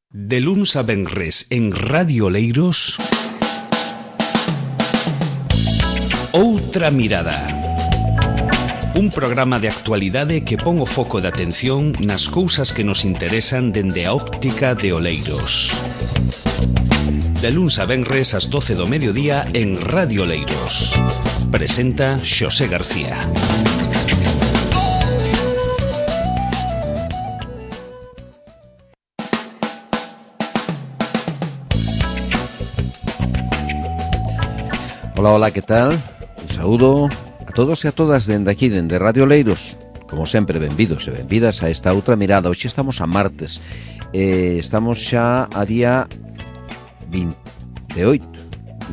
De luns a venres en Radio Oleiros, Outra Mirada. Un programa de actualidade que pon o foco de atención nas cousas que nos interesan dende a óptica de Oleiros. De luns a venres ás 12 do mediodía en Radio Oleiros. Presenta Xosé García. Hola, hola, ¿qué tal? Un saúdo a todos e a todas dende aquí, dende Radio Oleiros. Como sempre, benvidos e benvidas a esta outra mirada. Hoxe estamos a martes. Estamos xa a día 28.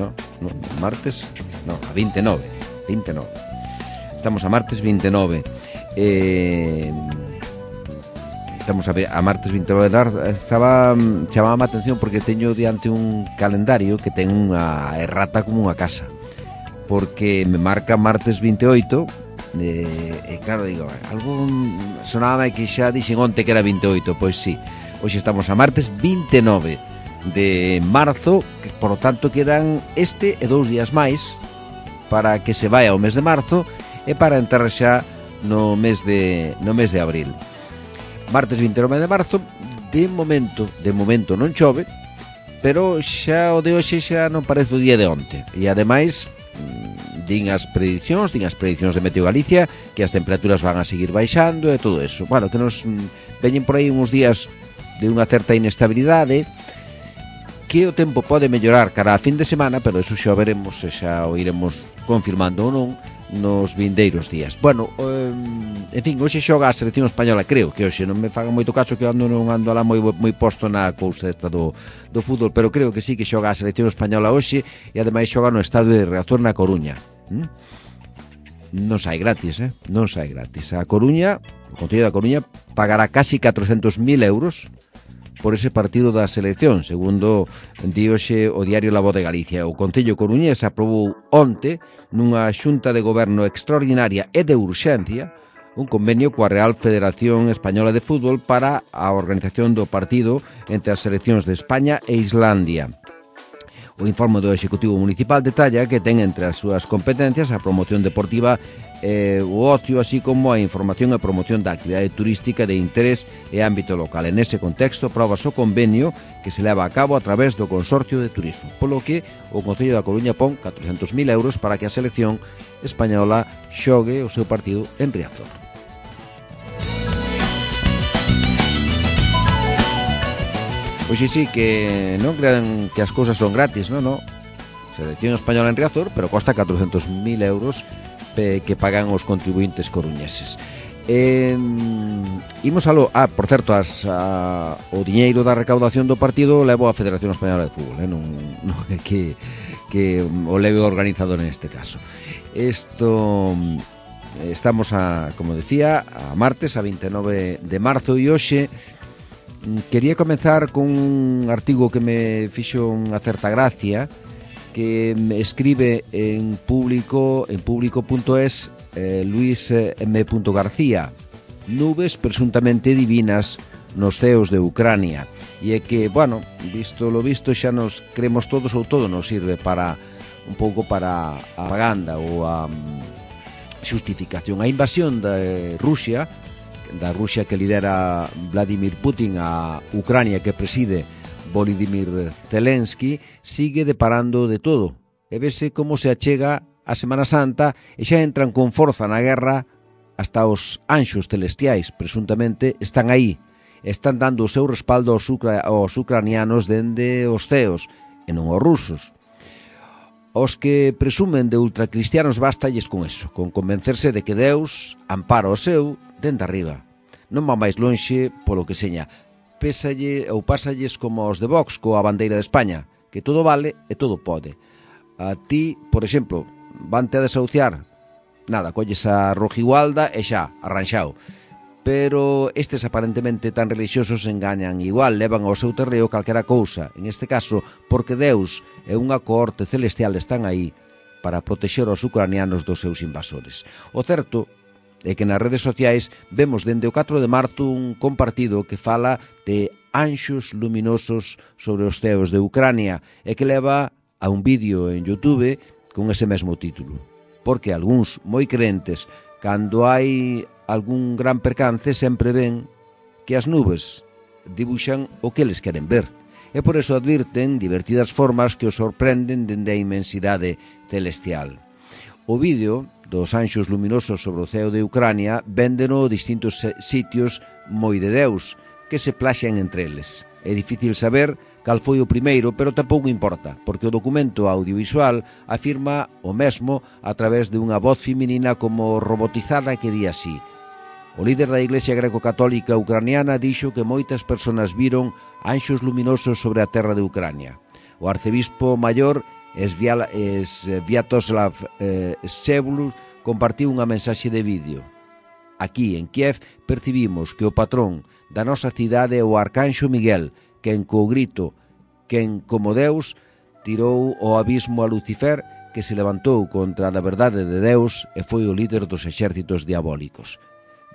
No, martes, no, a 29. Estamos a martes 29. Estamos a martes 29 de chamaba a atención porque teño diante un calendario que ten unha errata como unha casa, porque me marca martes 28 e claro, digo, algo sonaba que xa dixen onte que era 28, pois sí, hoxe estamos a martes 29 de marzo, que por lo tanto quedan este e 2 días máis para que se vaia o mes de marzo e para entrar xa no mes de abril. Martes 29 de marzo, de momento non chove, pero xa o de hoxe xa non parece o día de onte. E ademais, din as prediccións de Meteo Galicia que as temperaturas van a seguir baixando e todo eso. Bueno, que nos veñen por aí uns días de unha certa inestabilidade, que o tempo pode mellorar cara a fin de semana, pero eso xa o veremos e xa o iremos confirmando ou non nos vindeiros días. Bueno, en fin, hoxe xoga a selección española, creo que hoxe non me fagan moito caso que non ando alá moi posto na cousa esta do fútbol, pero creo que sí que xoga a selección española hoxe e ademais xoga no estadio de Riazor na Coruña. Non sai gratis, non sai gratis. A Coruña, o Concello da Coruña pagará casi 400.000 euros por ese partido da selección, segundo di hoxe o diario La Voz de Galicia. O Concello coruñés aprobou onte nunha xunta de goberno extraordinaria e de urxencia un convenio coa Real Federación Española de Fútbol para a organización do partido entre as seleccións de España e Islandia. O informe do Executivo Municipal detalla que ten entre as súas competencias a promoción deportiva e o ocio, así como a información e promoción da actividade turística de interés e ámbito local. En ese contexto, aprobas o convenio que se leva a cabo a través do Consorcio de Turismo, polo que o Concello da Coruña pon 400.000 euros para que a selección española xogue o seu partido en Riazor. Pois sí, que non crean que as cousas son gratis, non. Selección española en Riazor, pero costa 400.000 euros que pagan os contribuintes coruñeses. Imos aló. Por certo, o diñeiro da recaudación do partido levo a Federación Española de Fútbol, non é que o leve o organizador neste caso. Estamos como decía, a martes, a 29 de marzo, e hoxe quería comenzar con un artigo que me fixo unha certa gracia, que me escribe en público.es Luis M. García. Nubes presuntamente divinas nos ceos de Ucrania. E é que, bueno, visto lo visto, xa nos creemos todos, ou todo nos sirve para un pouco para a propaganda ou a xustificación. A invasión da Rusia que lidera Vladimir Putin, a Ucrania que preside Volodymyr Zelensky, sigue deparando de todo. E vese como se achega a Semana Santa e xa entran con forza na guerra. Hasta os anxos celestiais presuntamente están aí, están dando o seu respaldo aos ucranianos dende os ceos e non aos rusos. Os que presumen de ultracristianos bastalles con eso, con convencerse de que Deus ampara o seu dende arriba. Non va máis lonxe polo que seña. Pásalles como os de Vox coa bandeira de España, que todo vale e todo pode. A ti, por exemplo, vante a desahuciar, nada, colles a rojigualda e xa, arranxao. Pero estes aparentemente tan religiosos engañan igual, levan ao seu terreo calquera cousa, en este caso porque Deus e unha cohorte celestial están aí para protexer os ucranianos dos seus invasores. O certo é que nas redes sociais vemos dende o 4 de marzo un compartido que fala de anxos luminosos sobre os ceos de Ucrania e que leva a un vídeo en YouTube con ese mesmo título. Porque algúns moi crentes, cando hai algún gran percance, sempre ven que as nubes dibuixan o que eles queren ver. E por eso advirten divertidas formas que os sorprenden dende a inmensidade celestial. O vídeo dos anxos luminosos sobre o ceo de Ucrania véndeno distintos sitios moi de Deus, que se plaxan entre eles. É difícil saber cal foi o primeiro, pero tampouco importa, porque o documento audiovisual afirma o mesmo a través de unha voz feminina como robotizada que di así: o líder da Iglesia greco-católica ucraniana dixo que moitas persoas viron anxos luminosos sobre a terra de Ucrania. O arcebispo maior Sviatoslav Shevlus compartiu unha mensaxe de vídeo. Aquí, en Kiev, percibimos que o patrón da nosa cidade é o arcanxo Miguel, quen co grito, quen como Deus, tirou ao abismo a Lucifer, que se levantou contra a verdade de Deus e foi o líder dos exércitos diabólicos.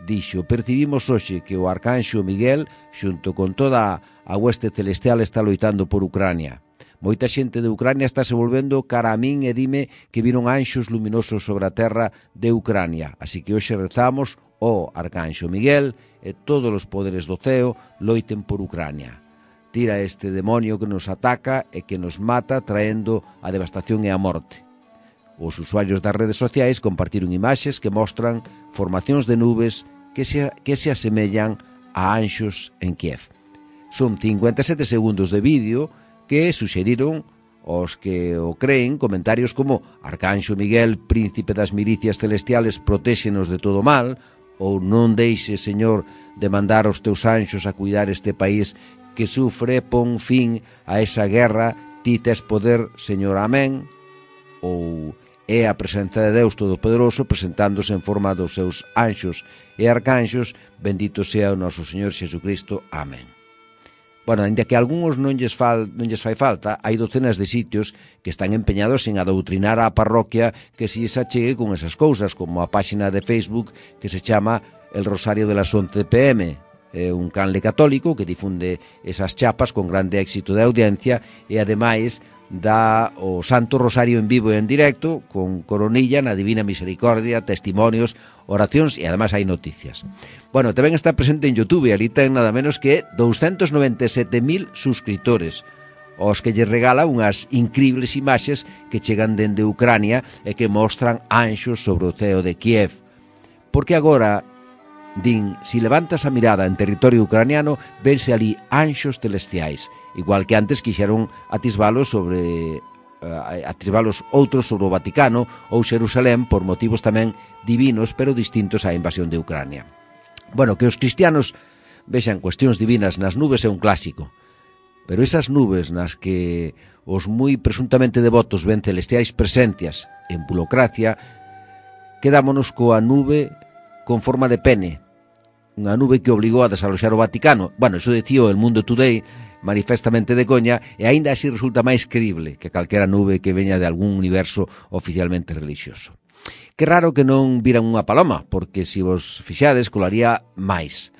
Dixo, percibimos hoxe que o arcanxo Miguel, xunto con toda a hueste celestial, está loitando por Ucrania. Moita xente de Ucrania está se volvendo cara a min e dime que viron anxos luminosos sobre a terra de Ucrania. Así que hoxe rezamos o arcanxo Miguel e todos os poderes do ceo loiten por Ucrania. Tira este demonio que nos ataca e que nos mata traendo a devastación e a morte. Os usuarios das redes sociais compartiron imaxes que mostran formacións de nubes que se asemellan a anxos en Kiev. Son 57 segundos de vídeo que suxeriron os que o creen comentarios como Arcanxo Miguel, príncipe das milicias celestiales, protéxenos de todo mal, ou non deixe, Señor, de mandar os teus anxos a cuidar este país que sufre, pon fin a esa guerra, ti tes poder, Señor, amén, ou é a presenza de Deus Todopoderoso presentándose en forma dos seus anxos e arcanxos, bendito sea o noso Señor Xesucristo, amén. Bueno, ainda que a algúns non lles fai falta, hai docenas de sitios que están empeñados en adoutrinar a parroquia que se achegue con esas cousas, como a páxina de Facebook que se chama El Rosario de las 11 p.m., é un canle católico que difunde esas chapas con grande éxito de audiencia e ademais dá o Santo Rosario en vivo e en directo con coronilla na Divina Misericordia, testimonios, oracións e ademais hai noticias. Bueno, tamén está presente en YouTube e ali ten nada menos que 297.000 suscriptores, os que lle regala unhas incribles imaxes que chegan dende Ucrania e que mostran anxos sobre o ceo de Kiev. Porque agora, din, si levantas a mirada en territorio ucraniano, vense ali anxos celestiais, igual que antes quixeron atisbalos outros sobre o Vaticano ou Xerusalén por motivos tamén divinos, pero distintos á invasión de Ucrania. Bueno, que os cristianos vexan cuestións divinas nas nubes é un clásico, pero esas nubes nas que os moi presuntamente devotos ven celestiais presencias en burocracia, quedámonos coa nube con forma de pene, unha nube que obligou a desaloxar o Vaticano. Bueno, iso dicía o El Mundo Today, manifestamente de coña, e aínda así resulta máis creíble que calquera nube que veña de algún universo oficialmente religioso. Que raro que non viran unha paloma, porque se vos fixades colaría máis.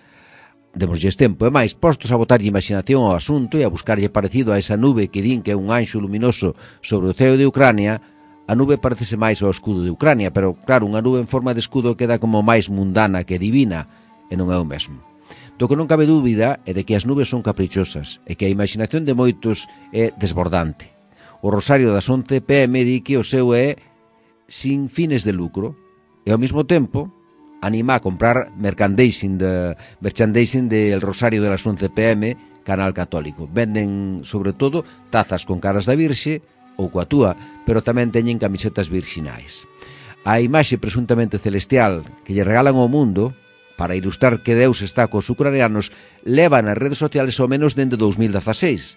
Demoslle tempo e máis postos a botarlle imaginación ao asunto e a buscarlle parecido a esa nube que din que é un anxo luminoso sobre o ceo de Ucrania. A nube parecese máis ao escudo de Ucrania, pero claro, unha nube en forma de escudo queda como máis mundana que divina, e non é o mesmo. Do que non cabe dúbida é de que as nubes son caprichosas e que a imaginación de moitos é desbordante. O Rosario das 11 p.m. di que o seu é sin fines de lucro e ao mesmo tempo anima a comprar merchandising del Rosario de las 11 p.m. Canal Católico. Venden, sobre todo, tazas con caras da Virxe ou coa túa, pero tamén teñen camisetas virxinais. A imaxe presuntamente celestial que lle regalan ao mundo para ilustrar que Deus está cos ucranianos leva nas redes sociales ao menos dende 2016.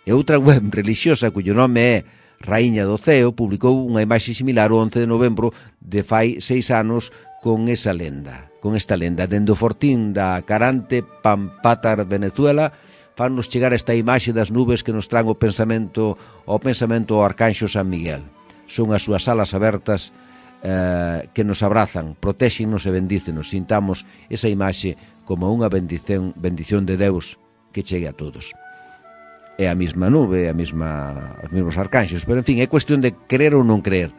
E outra web religiosa cuyo nome é Raíña do Ceo publicou unha imaxe similar o 11 de novembro de fai 6 anos con esta lenda. Dende o fortín da Carante, Pampatar, Venezuela, fannos chegar esta imaxe das nubes que nos tran ao pensamento ao Arcanxo San Miguel. Son as súas alas abertas que nos abrazan, protéxenos e bendícenos, sintamos esa imaxe como unha bendición de Deus que chegue a todos. É a mesma nube, os mesmos arcanxos, pero en fin, é cuestión de creer ou non creer,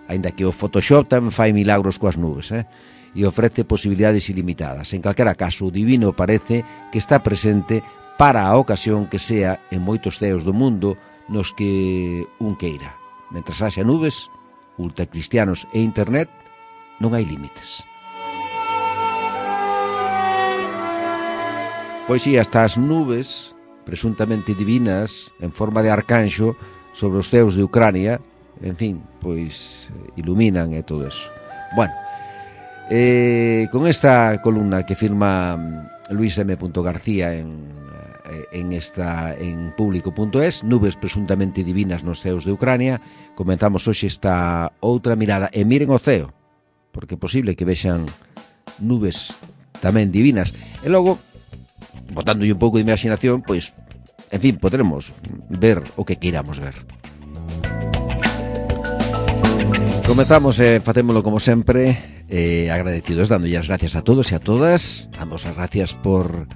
aínda que o Photoshop tamén fai milagros coas nubes, e ofrece posibilidades ilimitadas. En calquera caso, o divino parece que está presente para a ocasión que sea en moitos ceos do mundo nos que un queira. Mentras haxa nubes, ultracristianos e internet, non hai límites. Pois si, hasta as nubes presuntamente divinas en forma de arcanxo sobre os ceos de Ucrania, en fin, pois iluminan e todo eso. Bueno, con esta columna que firma Luis M. García en público.es, nubes presuntamente divinas nos ceos de Ucrania, comenzamos hoxe esta outra mirada, e miren o ceo, porque é posible que vexan nubes tamén divinas, e logo, botándolle un pouco de imaginación, pois, en fin, podremos ver o que queiramos ver. Comezamos e facémolo como sempre, agradecidos, dándolle as gracias a todos e a todas. Damos as gracias por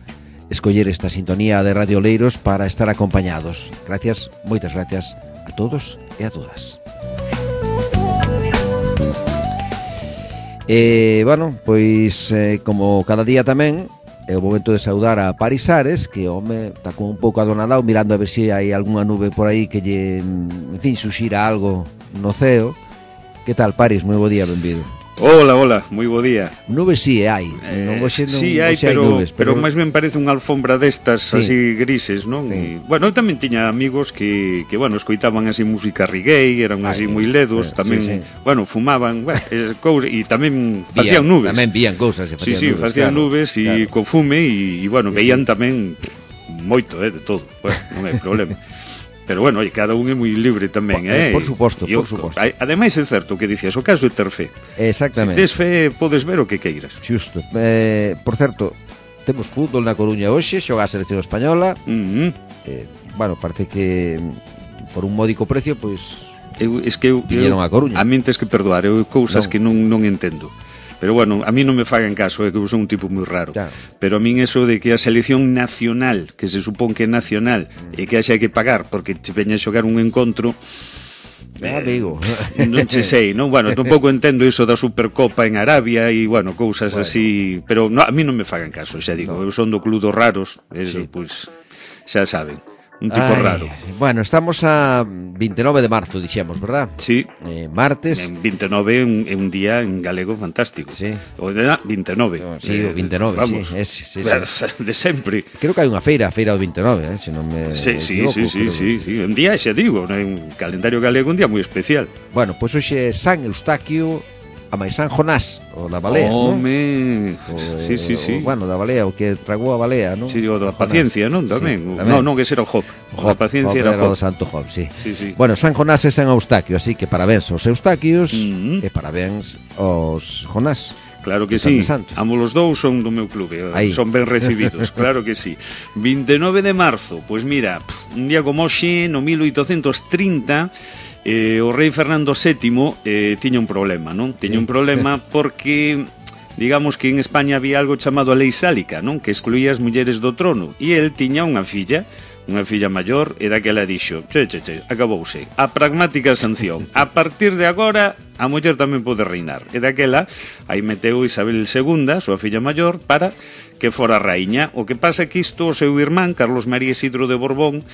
escoller esta sintonía de Radio Oleiros para estar acompañados. Gracias, moitas gracias a todos e a todas. Bueno, pois como cada día tamén é o momento de saudar a Paris Ares, que home está con un pouco adonadao mirando a ver se hai algunha nube por aí que lle, en fin, suxira algo no ceo. Que tal, Paris? Moi bo día, benvido. Hola, moi bo día. Nubes si hai, si hai, pero máis ben parece unha alfombra destas, sí, así grises, non? Sí. E, bueno, eu tamén tiña amigos que bueno, escoitaban así música reggae, eran así moi ledos, tamén, sí, bueno, fumaban, cousas, e tamén facían nubes. Tamén vían cousas, facían nubes, facían nubes e co fume, e bueno, veían tamén moito, de todo. Bueno, non hai problema. Pero bueno, cada un é moi libre tamén, Por suposto, por suposto. Ademais é certo o que dicías, o caso é ter fe. Exactamente. Se tes fe, podes ver o que queiras. Xusto. Por certo, temos fútbol na Coruña hoxe, xoga a selección española. Bueno, parece que por un módico precio, pois viñeron a Coruña. A min tes que perdoar, eu cousas que non entendo. Pero bueno, a mí non me fagan caso, que eu son un tipo moi raro. Claro. Pero a min eso de que a selección nacional, que se supón que é nacional, e que haxa que pagar porque te veña a xogar un encontro, amigo, non se sei, non? Bueno, tampouco entendo iso da Supercopa en Arabia e, bueno, cousas así, pero no, a mí non me fagan caso, xa digo, eu son do club dos raros, eso, pois, xa saben. Un tipo raro. Bueno, estamos a 29 de marzo, dixemos, verdad? Sí. Martes. En 29 é un día en galego fantástico. Sí. O de 29. Sí, o 29, vamos, sí. De sempre. Creo que hai unha feira do 29, se non me equivoco. Sí. Un día, xa digo, un calendario galego, un día moi especial. Bueno, pois hoxe é San Eustaquio, a máis San Jonás, o da balea, Home, sí. Bueno, da balea, o que tragou a balea, non? Sí, o da paciencia, non? Tamén. Non, que era o Job. A paciencia era o Job. Santo Job, sí. Bueno, San Jonás é San Eustaquio, así que parabéns aos Eustaquios e parabéns aos Jonás. Claro que sí, ambos os dous son do meu clube, son ben recibidos, claro que sí. 29 de marzo, pois mira, un día como hoxe, no 1830, o rei Fernando VII tiña un problema, non? Tiña un problema porque, digamos que en España había algo chamado a lei sálica, non? Que excluía as mulleres do trono, e el tiña unha filla maior, e daquela dixo, acabouse, a pragmática sanción, a partir de agora a muller tamén pode reinar, e daquela aí meteu Isabel II, a súa filla maior, para que fora raíña. O que pasa é que isto o seu irmán, Carlos María Isidro de Borbón,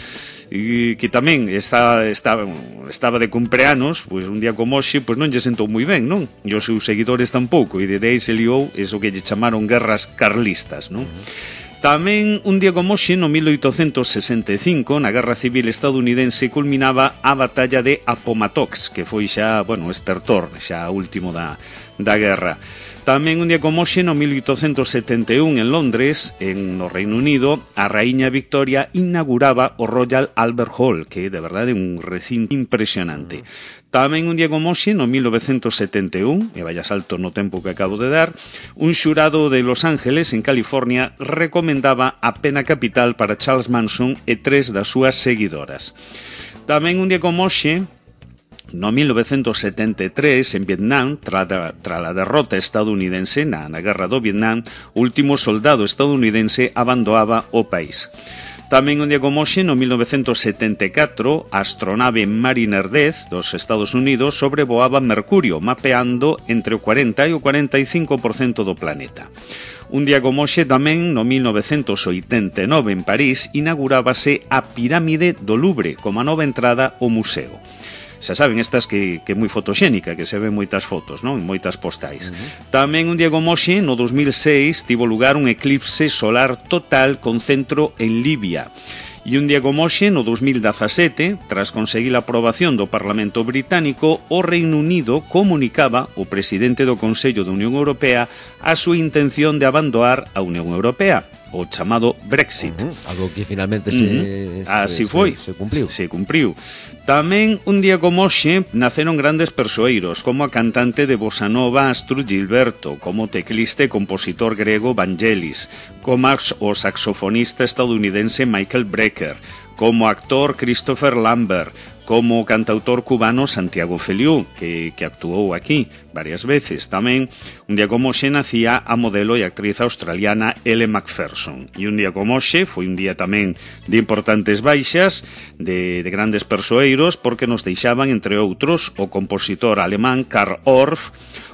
que tamén estaba de cumpleanos, pois un día como hoxe, pois non lle sentou moi ben, non? E os seus seguidores tampouco, e de aí se liou eso que lle chamaron guerras carlistas, non? Tamén un día como hoxe, no 1865, na Guerra Civil estadounidense, culminaba a batalla de Appomattox, que foi xa, bueno, estertor, xa último da guerra. Tamén un día como hoxe, no 1871, en Londres, no Reino Unido, a raíña Victoria inauguraba o Royal Albert Hall, que de verdade é un recinto impresionante. Tamén un día como hoxe, no 1971, e vaya salto no tempo que acabo de dar, un xurado de Los Ángeles, en California, recomendaba a pena capital para Charles Manson e 3 das súas seguidoras. Tamén un día como hoxe, No 1973, en Vietnam, tras a derrota estadounidense na Guerra do Vietnam, o último soldado estadounidense abandoaba o país. Tamén un día como hoxe, no 1974, a astronave Mariner 10 dos Estados Unidos sobrevoaba Mercurio, mapeando entre o 40 e o 45% do planeta. Un día como hoxe tamén, no 1989, en París, inaugurábase a Pirámide do Louvre como a nova entrada ao museo. Xa saben, estas que é moi fotoxénica, que se ven moitas fotos, non? Moitas postais. Tamén un día como hoxe, no 2006, tivo lugar un eclipse solar total con centro en Libia. E un día como hoxe, no 2017, tras conseguir a aprobación do Parlamento Británico, o Reino Unido comunicaba ao presidente do Consello da Unión Europea a súa intención de abandonar a Unión Europea, o chamado Brexit. Algo que finalmente se cumpriu. Se cumpriu. Tamén, un día como hoxe, naceron grandes persoeiros, como a cantante de bossa nova Astrud Gilberto, como o teclista e compositor grego Vangelis, como o saxofonista estadounidense Michael Brecker, como actor Christopher Lambert, como o cantautor cubano Santiago Feliú, que actuou aquí varias veces. Tamén, un día como hoxe, nacía a modelo e actriz australiana Elle Macpherson. E un día como hoxe, foi un día tamén de importantes baixas, de grandes persoeiros, porque nos deixaban, entre outros, o compositor alemán Carl Orff,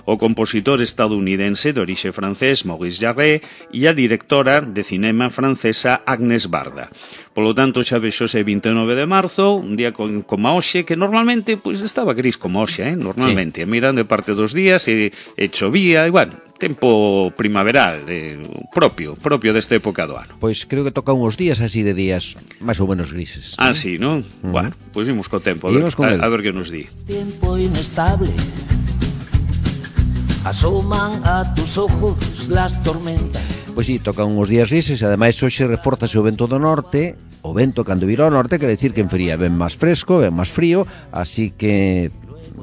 o compositor estadounidense de orixe francés Maurice Jarre e a directora de cinema francesa Agnès Varda. Polo tanto, xa vexo ese 29 de marzo, un día como hoxe, que normalmente pois estaba gris como hoxe, normalmente. Sí. Miran de parte dos días e chovía, e bueno, tempo primaveral, propio desta época do ano. Pois creo que toca uns días así de días máis ou menos grises. Ah, sí, non? Bueno, pois imos co tempo, a ver que nos di. Tiempo inestable, asoman a tus ojos las tormentas. Pois sí, tocan uns días grises e ademais hoxe reforzase o vento do norte. O vento cando vira ao norte quere decir que enfría, ben máis fresco, ben máis frío, así que,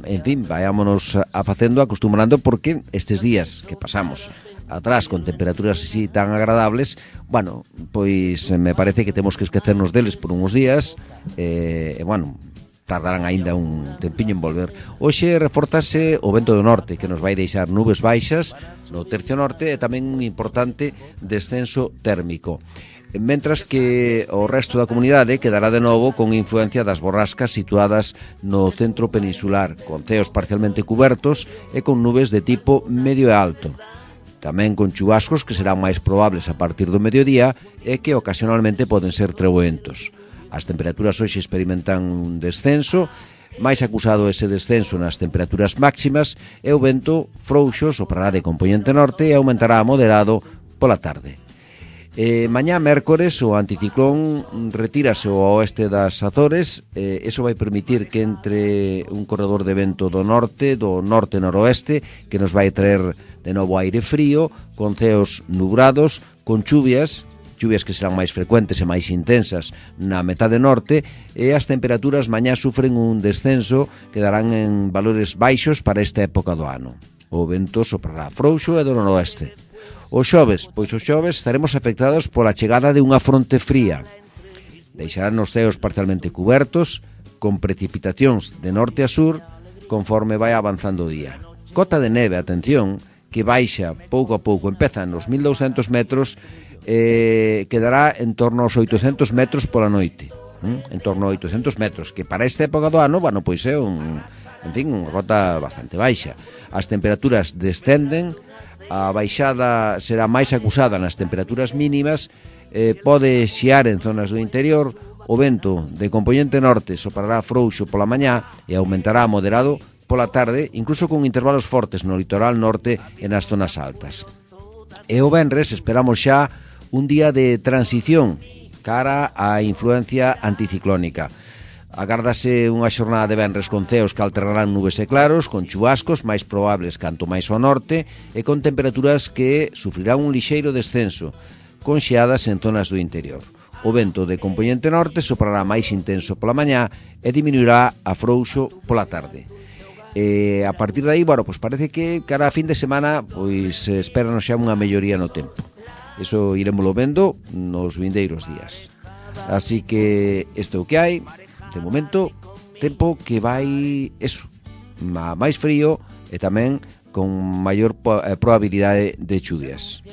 en fin, vayámonos acostumbrando, porque estes días que pasamos atrás con temperaturas así tan agradables, bueno, pois me parece que temos que esquecernos deles por uns días, bueno, tardarán aínda un tempiño en volver. Hoxe reforzase o vento do norte, que nos vai deixar nubes baixas no tercio norte e tamén un importante descenso térmico. Mentras que o resto da comunidade quedará de novo con influencia das borrascas situadas no centro peninsular, con ceos parcialmente cubertos e con nubes de tipo medio e alto. Tamén con chubascos que serán máis probables a partir do mediodía e que ocasionalmente poden ser treboentos. As temperaturas hoxe experimentan un descenso, máis acusado ese descenso nas temperaturas máximas, e o vento frouxo soprará de compoñente norte e aumentará a moderado pola tarde. Mañá, mércores, o anticiclón retírase ao oeste das Azores, eso vai permitir que entre un corredor de vento do norte-noroeste, que nos vai traer de novo aire frío, con ceos nubrados, con chuvias que serán máis frecuentes e máis intensas na metade norte, e as temperaturas mañá sufren un descenso que darán en valores baixos para esta época do ano. O vento soprará frouxo e do noroeste. O xoves estaremos afectados pola chegada de unha fronte fría. Deixarán os ceos parcialmente cubertos, con precipitacións de norte a sur, conforme vai avanzando o día. Cota de neve, atención, que baixa pouco a pouco, empeza nos 1200 metros, quedará en torno aos 800 metros pola noite, en torno a 800 metros, que para esta época do ano, bueno, pois é unha cota bastante baixa. As temperaturas descenden, a baixada será máis acusada nas temperaturas mínimas, pode xiar en zonas do interior, o vento de compoñente norte soprará frouxo pola mañá e aumentará a moderado pola tarde, incluso con intervalos fortes no litoral norte e nas zonas altas. E o venres esperamos xa un día de transición cara á influencia anticiclónica. Agárdase unha xornada de venres con ceos que alternarán nubes e claros, con chubascos máis probables canto máis ao norte e con temperaturas que sufrirán un lixeiro descenso, con xeadas en zonas do interior. O vento de compoñente norte soprará máis intenso pola mañá e diminuirá a frouxo pola tarde. A partir de aí, bueno, pois parece que cara a fin de semana pois espéranos xa unha melloría no tempo. Eso iremoslo vendo nos vindeiros días. Así que isto é o que hai. De momento, tempo que vai, eso, máis frío e tamén con maior probabilidade de chuvias.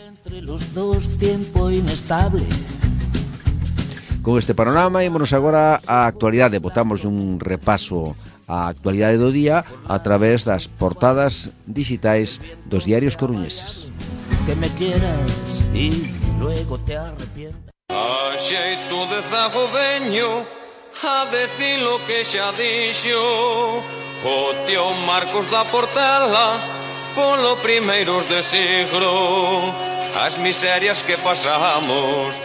Con este panorama, ímonos agora á actualidade. Botamos un repaso á actualidade do día a través das portadas digitais dos diarios coruñeses. Que me quieras y luego te arrepientas. A xeito de zago veño a decir lo que xa dixo o tío Marcos da Portela polo primeiros de siglo, as miserias que pasamos.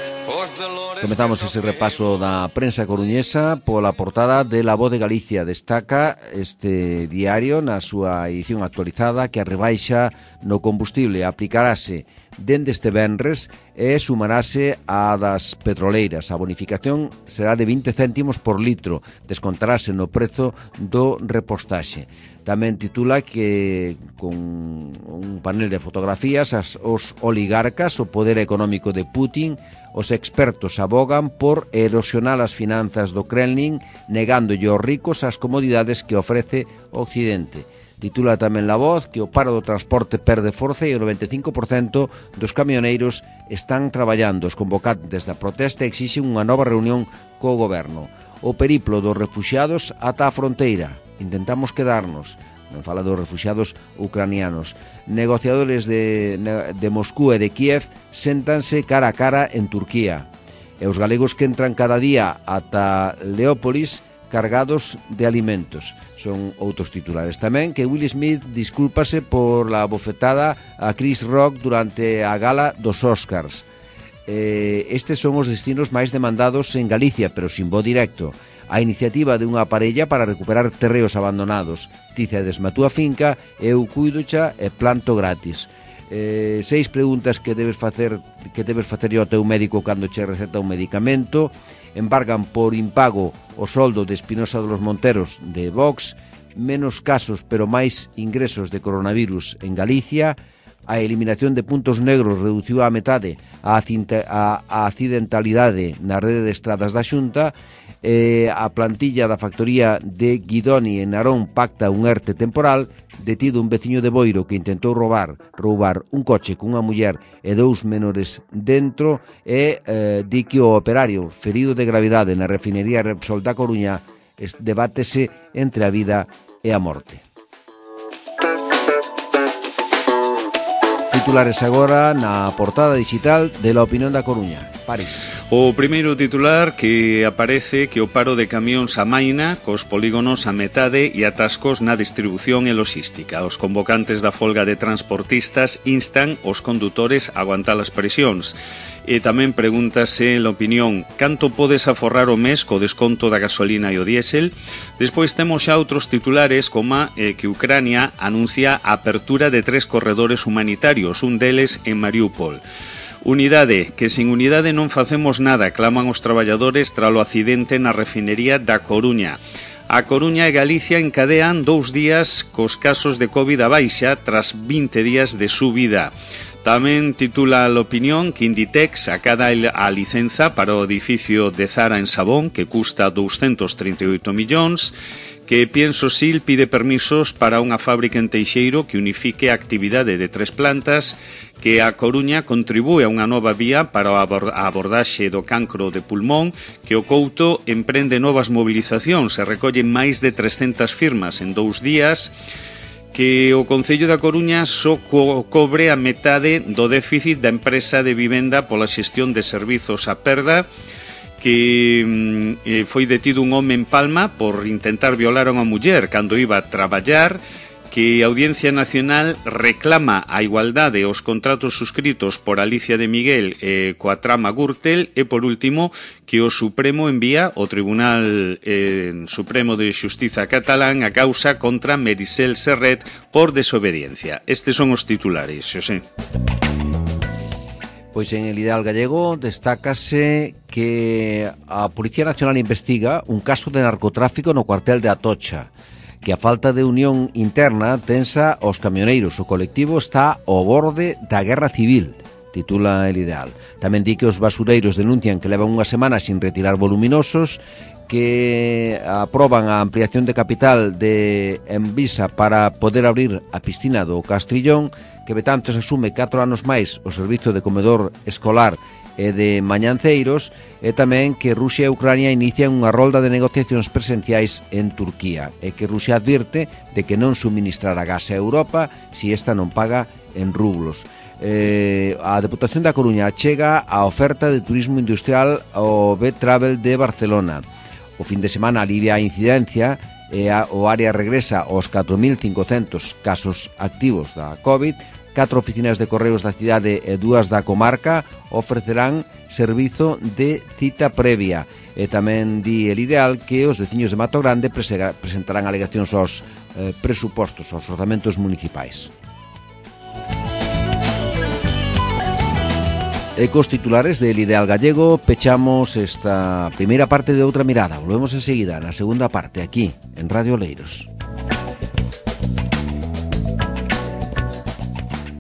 Comezamos ese repaso da prensa coruñesa pola portada de La Voz de Galicia. Destaca este diario na súa edición actualizada que a rebaixa no combustible aplicarase dende este venres e sumarase a das petroleiras. A bonificación será de 20 céntimos por litro, descontarase no prezo do repostaxe. Tamén titula que con un panel de fotografías os oligarcas, o poder económico de Putin, os expertos abogan por erosionar as finanzas do Kremlin, negándolle aos ricos as comodidades que ofrece o Occidente. Titula tamén La Voz que o paro do transporte perde forza e o 95% dos camioneiros están traballando. Os convocantes da protesta exixen unha nova reunión co goberno. O periplo dos refuxiados ata a fronteira. Intentamos quedarnos. Non fala dos refuxiados ucranianos. Negociadores de Moscú e de Kiev séntanse cara a cara en Turquía. E os galegos que entran cada día ata Leópolis cargados de alimentos. Son outros titulares tamén que Will Smith discúlpase por la bofetada a Chris Rock durante a gala dos Oscars. Estes son os destinos máis demandados en Galicia, pero sin voo directo. A iniciativa de unha parella para recuperar terreos abandonados. Ti cedes a túa finca, eu cuidocha e planto gratis. 6 preguntas que debes facer ao teu médico cando che receta un medicamento. Embargan por impago o soldo de Espinosa de los Monteros de Vox. Menos casos pero máis ingresos de coronavirus en Galicia. A eliminación de puntos negros reduciu a metade a accidentalidade na rede de estradas da Xunta. A plantilla da factoría de Guidoni en Narón pacta un ERTE temporal. Detido un veciño de Boiro que intentou roubar un coche cunha muller e 2 menores dentro e di que o operario ferido de gravidade na refinería Repsol da Coruña debátese entre a vida e a morte. Titulares agora na portada digital de La Opinión da Coruña. París. O primeiro titular que aparece que o paro de camións amaina cos polígonos a metade e atascos na distribución e logística. Os convocantes da folga de transportistas instan os condutores a aguantar as presións. E tamén pregúntase en La Opinión canto podes aforrar o mes co desconto da gasolina e o diésel. Despois temos xa outros titulares como que Ucrania anuncia a apertura de 3 corredores humanitarios, un deles en Mariúpol. Unidade, que sin unidade non facemos nada, claman os traballadores tralo accidente na refinería da Coruña. A Coruña e Galicia encadean 2 días cos casos de COVID a baixa tras 20 días de subida. Tamén titula La Opinión que Inditex acada a licenza para o edificio de Zara en Sabón, que custa 238 millóns, que Piensosil pide permisos para unha fábrica en Teixeiro que unifique a actividade de 3 plantas, que a Coruña contribúe a unha nova vía para a abordaxe do cancro de pulmón, que o Couto emprende novas mobilizacións e recolle máis de 300 firmas en 2 días, que o Concello da Coruña só cobre a metade do déficit da empresa de vivenda pola xestión de servizos a perda, que foi detido un home en Palma por intentar violar a unha muller cando iba a traballar, que a Audiencia Nacional reclama a igualdade aos contratos suscritos por Alicia de Miguel coa trama Gürtel e, por último, que o Supremo envía ao Tribunal Supremo de Xustiza catalán a causa contra Merisel Serret por desobediencia. Estes son os titulares, Xosé. Pois en el Ideal Gallego destácase que a Policía Nacional investiga un caso de narcotráfico no cuartel de Atocha, que a falta de unión interna tensa os camioneiros. O colectivo está ao borde da guerra civil. titula El Ideal. Tamén di que os basureiros denuncian que levan unha semana sin retirar voluminosos, que aproban a ampliación de capital de Envisa para poder abrir a piscina do Castrillón, que Betanzos asume 4 anos máis o servizo de comedor escolar e de mañanceiros, e tamén que Rusia e Ucrania inician unha rolda de negociacións presenciais en Turquía, e que Rusia advirte de que non suministrará gas a Europa se esta non paga en rublos. A Deputación da Coruña chega a oferta de turismo industrial ao B-Travel de Barcelona. O fin de semana alivia a incidencia e o área regresa aos 4.500 casos activos da COVID. 4 oficinas de correos da cidade e 2 da comarca ofrecerán servizo de cita previa. E tamén di El Ideal que os veciños de Mato Grande presentarán alegacións aos presupostos, aos orzamentos municipais. E cos titulares del Ideal Gallego pechamos esta primeira parte de Outra Mirada. Volvemos enseguida na segunda parte aquí en Radio Oleiros.